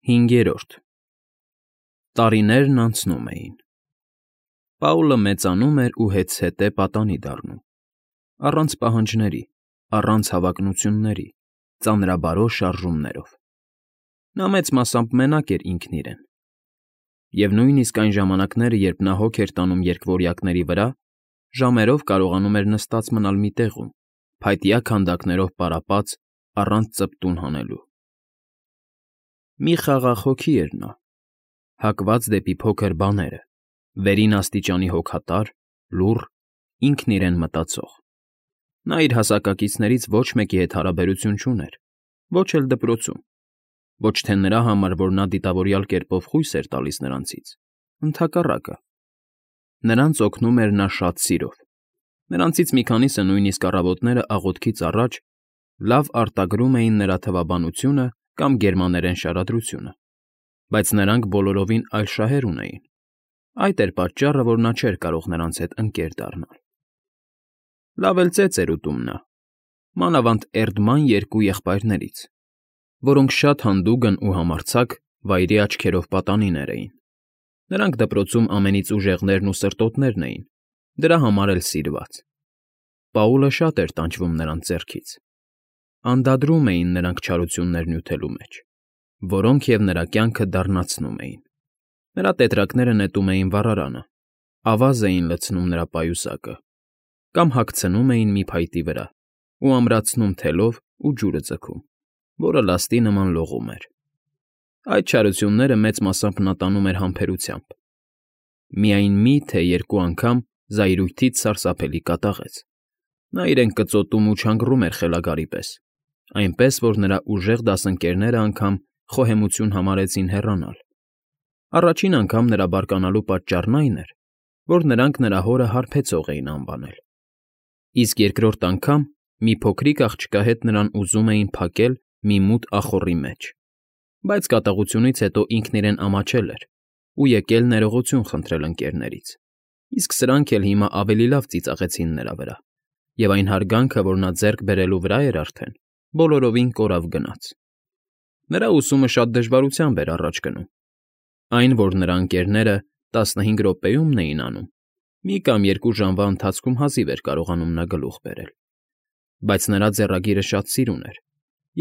5. Տարիներն անցնում էին։ Պաուլը մեծանում էր ու հետզհետե պատանի դառնում, առանց պահանջների, առանց հավակնությունների, ծանրաբարո շարժումներով։ Նա մեծ մասամբ մենակ էր ինքն իրեն։ Եվ նույնիսկ այն ժամանակները, երբ նա հոգ էր տանում երկվորյակների վրա, ժամերով կարողանում էր նստած մնալ մի տեղում, փայտյա քանդակներով պարապած, առանց ծպտուն հանելու։ Մի խաղաղ հոգի էր նա, հակված դեպի փոքր բաները, վերին աստիճանի հոգատար, լուռ, ինքն իրեն մտածող։ Նա իր հասակակիցներից ոչ մեկի հետ հարաբերություն չուներ, ոչ էլ դպրոցում, ոչ թե նրա համար, որ նա դիտավորյալ կերպով խույս էր տալիս նրանցից, ընդհակառակը։ Նրանց օգնում էր նա շատ սիրով։ Նրանցից մի քանիսը նույնիսկ առավոտները աղոթքից առաջ լավ արտագրում էին նրա թվաբանությունը կամ գերմաներեն շարադրությունը, բայց նրանք բոլորովին այլ շահեր ունեին։ Այդ էր պատճառը, որ նա չէր կարող նրանց հետ ընկեր դառնալ։ Լավ էլ ծեծ էր ուտում նա, մանավանդ Էրդման երկու եղբայրներից, որոնք շատ հանդուգն ու համարձակ վայրի աչքերով պատանիներ էին։ Նրանք դպրոցում ամենից ուժեղներն ու սրտոտներն էին, դրա համար էլ սիրված։ Պաուլը շատ էր տանջվում նրանց ձեռքից։ Անդադրում էին նրանք չարություններ նյութելու մեջ, որոնք և նրա կյանքը դառնացնում էին։ Նրա տետրակները նետում էին վառարանը, ավազ էին լցնում նրա պայուսակը, կամ հագցնում էին մի փայտի վրա ու ամրացնում թելով ու ջուրը ձգում, որը լաստի նման լողում էր։ Այդ չարությունները մեծ մասամբ նա տանում էր համբերությամբ։ Միայն մի թե երկու անգամ զայրույթից սարսափելի կատաղեց։ Նա իրեն կծոտում ու չանգռում էր խելագարի պես, այնպես որ նրա ուժեղ դասընկերները անգամ խոհեմություն համարեցին հեռանալ։ Առաջին անգամ նրա բարկանալու պատճառն այն էր, որ նրանք նրա հորը հարբեցող էին անվանել։ Իսկ երկրորդ անգամ մի փոքրիկ աղջկա հետ նրան ուզում էին փակել մի մութ ախոռի մեջ, բայց կատաղությունից հետո ինքն իրեն ամաչել էր ու եկել ներողություն խնդրել ընկերներից, իսկ սրանք էլ հիմա ավելի լավ ծիծաղեցին նրա վրա, և այն հարգանքը, որ նա ձեռք բերելու վրա էր արդեն, բոլորովին կորավ գնաց։ Նրա ուսումը շատ դժվարությամբ էր առաջ գնում։ Այն, որ նրա ընկերները 15 րոպեումն էին անում, մի կամ երկու ժամվա ընթացքում հազիվ էր կարողանում նա գլուխ բերել։ Բայց նրա ձեռագիրը շատ սիրուն էր,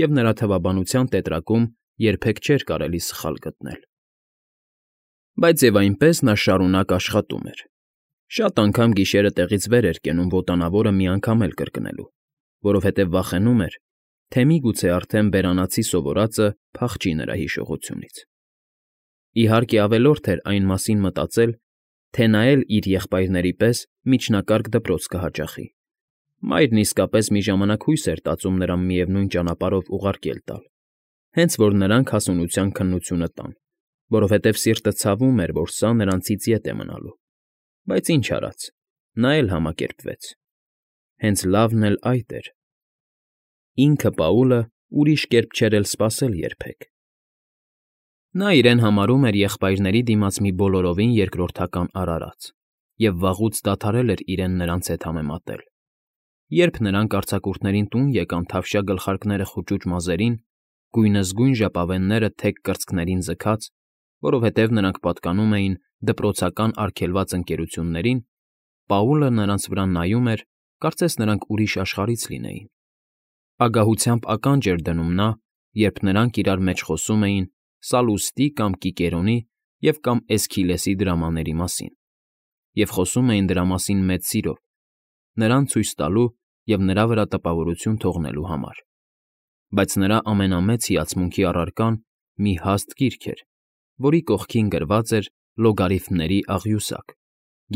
և նրա թվաբանության տետրակում երբեք չէր կարելի սխալ գտնել։ Բայց և այնպես նա շարունակ աշխատում էր։ Շատ անգամ գիշերը տեղից վեր էր կենում ոտանավորը մի անգամ էլ կրկնելու, որովհետև վախենում էր, թե միգուցե արդեն բերանացի սովորածը փախչի նրա հիշողությունից։ Իհարկե ավելորդ էր այն մասին մտածել, թե նա էլ իր եղբայրների պես միջնակարգ դպրոց կհաճախի։ Մայրն իսկապես մի ժամանակ հույս էր տածում նրան միևնույն ճանապարհով ուղարկել տալ, հենց որ նրանք հասունության քննությունը տան, որովհետև սիրտը ցավում էր, որ սա նրանցից ետ է մնալու։ Բայց ինչ արած, նա էլ համակերպվեց։ Հենց լավն էլ այդ էր։ Ինքը Պաուլը ուրիշ կերպ չէր էլ սպասել երբեք։ Նա իրեն համարում էր եղբայրների դիմաց մի բոլորովին երկրորդական արարած և վաղուց դադարել էր իրեն նրանց հետ համեմատել։ Երբ նրանք արձակուրդներին տուն եկան թավշյա գլխարկները խուճուճ մազերին, գույնզգույն ժապավենները թեք կրծքներին ձգած, որովհետև նրանք պատկանում էին դպրոցական արգելված ընկերություններին, Պաուլը նրանց վրա նայում էր, կարծես նրանք ուրիշ աշխարհից լինեին։ Ագահությամբ ականջ էր դնում նա, երբ նրանք իրար մեջ խոսում էին Սալուստի կամ Կիկերոնի և կամ Էսքիլեսի դրամաների մասին, և խոսում էին դրա մասին մեծ սիրով, նրան ցույց տալու և նրա վրա տպավորություն թողնելու համար։ Բայց նրա ամենամեծ հիացմունքի առարկան մի հաստ գիրք էր, որի կողքին գրված էր լոգարիթմների աղյուսակ,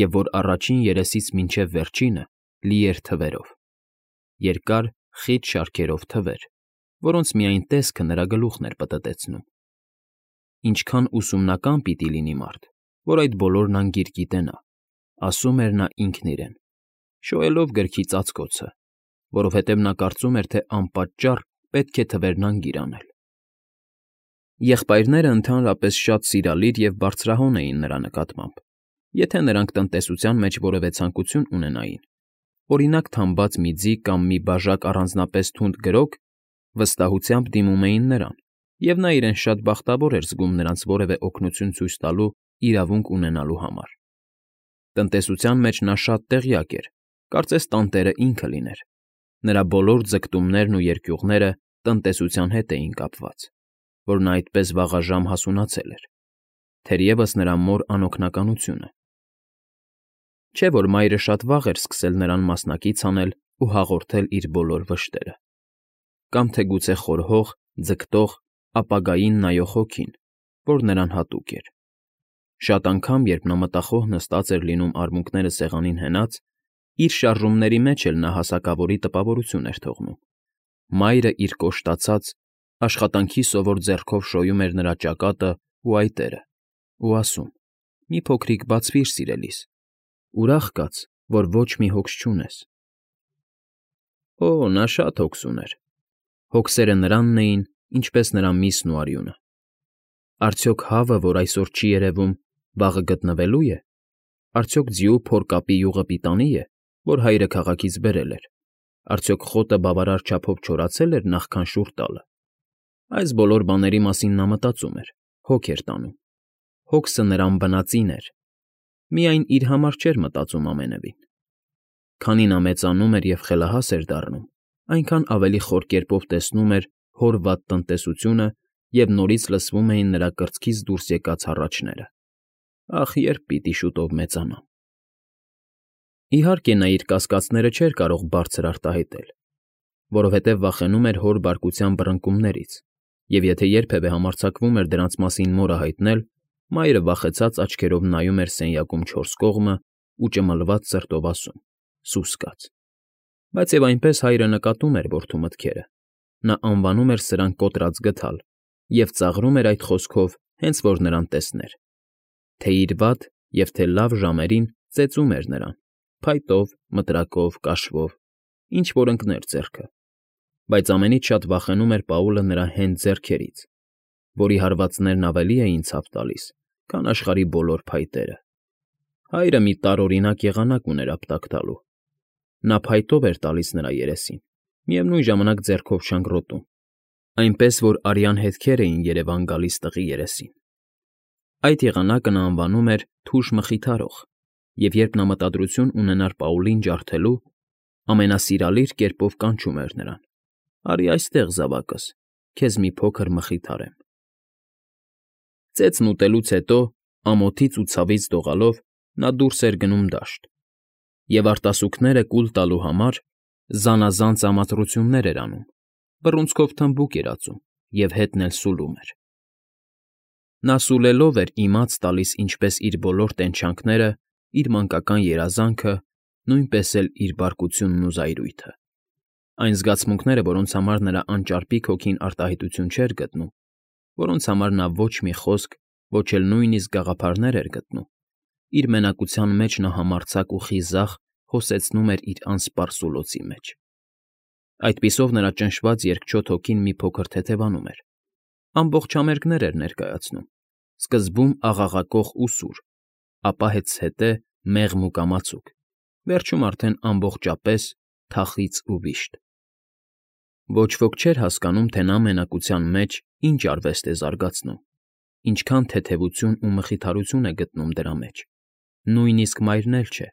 և որ առաջին երեսից մինչև վերջինը լի էր թվերով։ Երկար, խիտ շարքերով թվեր, որոնց միայն տեսքը նրա գլուխն էր պտտեցնում։ Ինչքան ուսումնական պիտի լինի մարդ, որ այդ բոլորն անգիր գիտենա, ասում էր նա ինքն իրեն, շոյելով գրքի ծածկոցը, որովհետև նա կարծում էր, թե անպատճառ պետք է թվերն անգիր անել։ Եղբայրները ընդհանրապես շատ սիրալիր և բարձրահոն էին նրա նկատմամբ, եթե նրանք տնտեսության մեջ որևէ ցանկություն ունենային, օրինակ թամբած մի ձի կամ մի բաժակ առանձնապես թունդ գրոգ, վստահությամբ դիմում էին նրան և նա իրեն շատ բախտավոր էր զգում նրանց որևէ օգնություն ցույց տալու իրավունք ունենալու համար։ Տնտեսության մեջ նա շատ տեղյակ էր, կարծես տանտերը ինքը լիներ։ Նրա բոլոր ձգտումներն ու երկյուղները տնտեսության հետ էին կապված, որ նա այդպես վաղաժամ հասունացել էր, թերևս նրա մոր անօգնականությունը։ Չէ՞ որ մայրը շատ վաղ էր սկսել նրան մասնակից անել ու հաղորդել իր բոլոր վշտերը։ Կամ թե գուցե խորհող, ձգտող, ապագային նայող հոգին, որ նրան հատուկ էր։ Շատ անգամ, երբ նա մտախոհ նստած էր լինում արմունկները սեղանին հենած, իր շարժումների մեջ էլ նա հասակավորի տպավորություն էր թողնում։ Մայրը իր կոշտացած, աշխատանքի սովոր ձեռքով շոյում էր նրա ճակատը ու այտերը ու ասում. «Մի փոքրիկ բացվիր, սիրելիս, ուրախ կաց, որ ոչ մի հոգս չունես»։ Օ՜, նա շատ հոգս ուներ։ Հոգսերը նրանն էին, ինչպես նրա միսն ու արյունը։ Արդյոք հավը, որ այսօր չի երևում, վաղը գտնվելո՞ւ է։ Արդյոք ձիու փորկապի յուղը պիտանի է, որ հայրը քաղաքից բերել էր։ Արդյոք խոտը բավարար չափով չորացել էր նախքան շուռ տալը։ Այս բոլոր բաների մասին նա մտածում էր, հոգ էր տանում։ Հոգսը նրան բնածին էր։ Միայն իր համար չէր մտածում ամենևին։ Քանի նա մեծանում էր և խելահաս էր դառնում, այնքան ավելի խոր կերպով տեսնում էր հոր վատ տնտեսությունը և նորից լսվում էին նրա կրծքից դուրս եկած հառաչները. «Ախ, երբ պիտի շուտով մեծանամ»։ Իհարկե, նա իր կասկածները չէր կարող բարձր արտահայտել, որովհետև վախենում էր հոր բարկության բռնկումներից, և եթե երբևէ համարձակվում էր դրանց մասին մորը հայտնել, մայրը վախեցած աչքերով նայում էր սենյակում չորս կողմը ու ճմլված սրտով ասում. «Սուս կաց»։ Բայց և այնպես հայրը նկատում էր որդու մտքերը։ Նա անվանում էր սրանք կոտրած գդալ և ծաղրում էր այդ խոսքով, հենց որ նրան տեսներ։ Թե իր վատ և թե լավ ժամերին ծեծում էր նրան, փայտով, մտրակով, կաշվով, ինչ֊որ ընկներ ձեռքը, բայց ամենից շատ վախենում էր Պաուլը նրա հենց ձեռքերից, որի հարվածներն ավելի էին ցավ տալիս, քան աշխարհի բոլոր փայտերը։ Հայրը մի տարօրինակ եղանակ ուներ ապտակ տալու։ Նա փայտով էր տալիս նրա երեսին, միևնույն ժամանակ ձեռքով շնգռոտում, այնպես որ արյան հետքեր էին երևան գալիս տղի երեսին։ Այդ եղանակը նա անվանում էր «թուժ մխիթարող» և երբ նա մտադրություն ունենար Պաուլին ջարդելու, ամենասիրալիր կերպով կանչում էր նրան. «Արի այստեղ, զավակս, քեզ մի փոքր մխիթարեմ»։ Ծեծն ուտելուց հետո, ամոթից ու ցավից դողալով, նա դուրս էր գնում դաշտ և արտասուքները կուլ տալու համար զանազան ծամատրություններ էր անում, բռունցքով թմբուկ էր ածում և հետն էլ սուլում էր։ Նա սուլելով էր իմաց տալիս ինչպես իր բոլոր տենչանքները, իր մանկական երազանքը, նույնպես էլ իր բարկությունն ու զայրույթը։ Այն զգացմունքները, որոնց համար նրա անճարպիկ հոգին արտահայտություն չէր գտնում, որոնց համար նա ոչ մի խոսք, ոչ էլ նույնիսկ գաղափարներ էր գտնում, իր մենակության մեջ նա համարձակ ու խիզախ հոսեցնում էր իր անսպառ սուլոցի մեջ։ Այդպիսով նրա ճնշված երկչոտ հոգին մի փոքր թեթևանում էր, ամբողջ համերգներ էր ներկայացնում, սկզբում աղաղակող ու սուր, ապա հետզհետե մեղմ ու կամացուկ, վերջում արդեն ամբողջապես թախիծ ու վիշտ։ Ոչ ոք չէր հասկանում, թե նա մենակության մեջ ինչ արվեստ է զարգացնում, ինչքան թեթևություն ու մխիթարություն է գտնում դրա մեջ, նույնիսկ մայրն էլ չէ։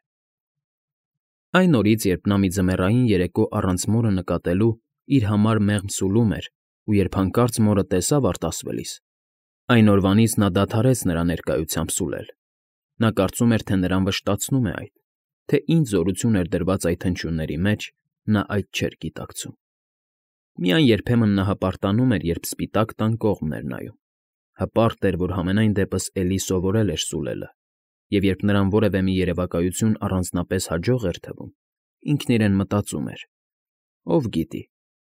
Այն օրից, երբ նա մի ձմեռային երեկո առանց մորը նկատելու իր համար մեղմ սուլում էր ու երբ հանկարծ մորը տեսավ արտասվելիս, այն օրվանից նա դադարեց նրա ներկայությամբ սուլել։ Նա կարծում էր, թե նրան վշտացնում է այդ, թե ինչ զորություն էր դրված այդ հնչյունների մեջ, նա այդ չէր գիտակցում։ Միայն երբեմն նա հպարտանում էր, երբ սպիտակ տան կողմն էր նայում։ Հպարտ էր, որ համենայն դեպս էլի սովորել էր սուլելը, և երբ նրան որևէ մի երևակայություն առանձնապես հաջող էր թվում, ինքն իրեն մտածում էր. «Ով գիտի,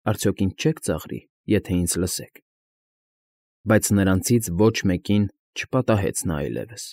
արդյոք ինձ չեք ծաղրի, եթե ինձ լսեք»։ Բայց նրանցից ոչ մեկին չպատահեց նա այլևս։